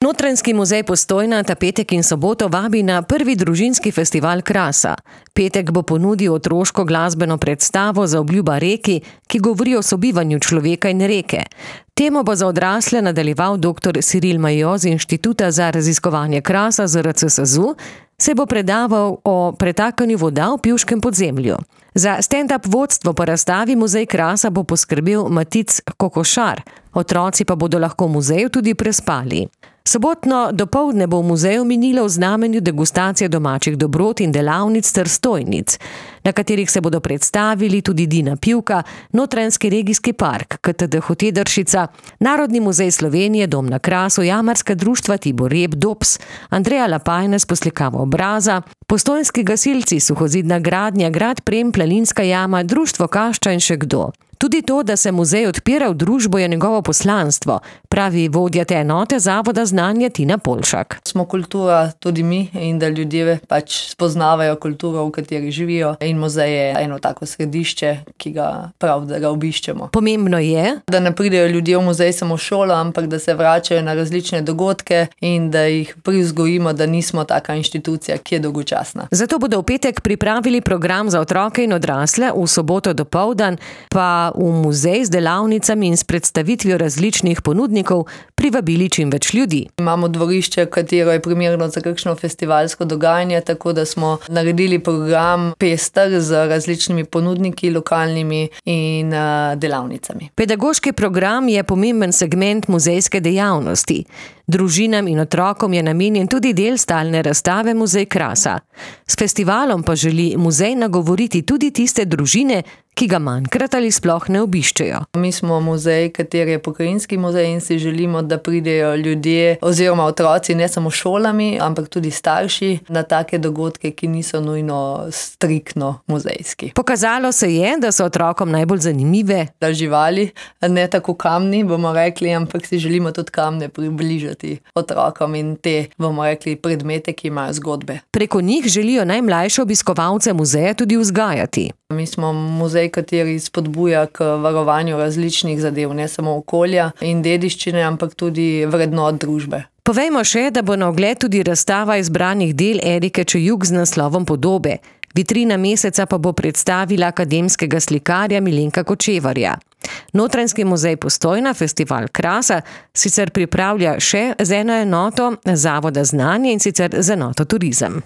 Notranjski muzej Postojna ta petek in soboto vabi na prvi družinski festival Krasa. Petek bo ponudil otroško glasbeno predstavo Zaobljuba reki, ki govori o sobivanju človeka in reke. Temo bo za odrasle nadaljeval dr. Ciril Majo z Inštituta za raziskovanje krasa ZRC SAZU, se bo predaval o pretakanju voda v Pivškem podzemlju. Za stand-up vodstvo po razstavi Muzej Krasa bo poskrbel Matic Kokošar, otroci pa bodo lahko v muzeju tudi prespali. Sobotno dopoldne bo v muzeju minilo v znamenju degustacije domačih dobrot in delavnic ter stojnic, na katerih se bodo predstavili tudi Dina Pivka, Notranjski regijski park, KTD Hotedršica, Narodni muzej Slovenije, Dom na Krasu, Jamarska društva Tibor Rep, Dops, Andreja Lapajne s poslikavo obraza, Postojnski gasilci, Suhozidna gradnja, Grad Prem, Planinska jama, Društvo Kašča in še kdo. Tudi to, da se muzej odpira v družbo, je njegovo poslanstvo, pravi vodja te enote Zavoda znanja Tina Polšak. Smo kultura tudi mi in da ljudje spoznavajo kulturo, v kateri živijo, in muzej je eno tako središče, ki ga prav, da ga obiščemo. Pomembno je, da ne pridejo ljudje v muzej samo šolo, ampak da se vračajo na različne dogodke in da jih privzgojimo, da nismo taka inštitucija, ki je dolgočasna. Zato bodo v petek pripravili program za otroke in odrasle, v soboto dopoldan pa v muzej z delavnicami in s predstavitvijo različnih ponudnikov privabili čim več ljudi. Imamo dvorišče, katero je primerno za kakšno festivalsko dogajanje, tako da smo naredili program pester z različnimi ponudniki, lokalnimi in delavnicami. Pedagoški program je pomemben segment muzejske dejavnosti. Družinam in otrokom je namenjen tudi del stalne razstave Muzej Krasa. S festivalom pa želi muzej nagovoriti tudi tiste družine, ki ga manjkrat ali sploh ne obiščejo. Mi smo muzej, kateri je pokrajinski muzej, in si želimo, da pridejo ljudje oziroma otroci ne samo šolami, ampak tudi starši na take dogodke, ki niso nujno striktno muzejski. Pokazalo se je, da so otrokom najbolj zanimive živali, ne tako kamni, bomo rekli, ampak si želimo tudi kamne približati otrokom in te, bomo rekli, predmete, ki imajo zgodbe. Preko njih želijo najmlajše obiskovalce muzeja tudi vzgajati. Mi smo muzej, kateri spodbuja k varovanju različnih zadev, ne samo okolja in dediščine, ampak tudi vrednot družbe. Povejmo še, da bo na ogled tudi razstava izbranih del Erike Čejuk z naslovom Podobe. Vitrina meseca pa bo predstavila akademskega slikarja Milenka Kočevarja. Notranjski muzej Postojna festival Krasa sicer pripravlja še z eno enoto Zavoda znanja, in sicer z enoto Turizem.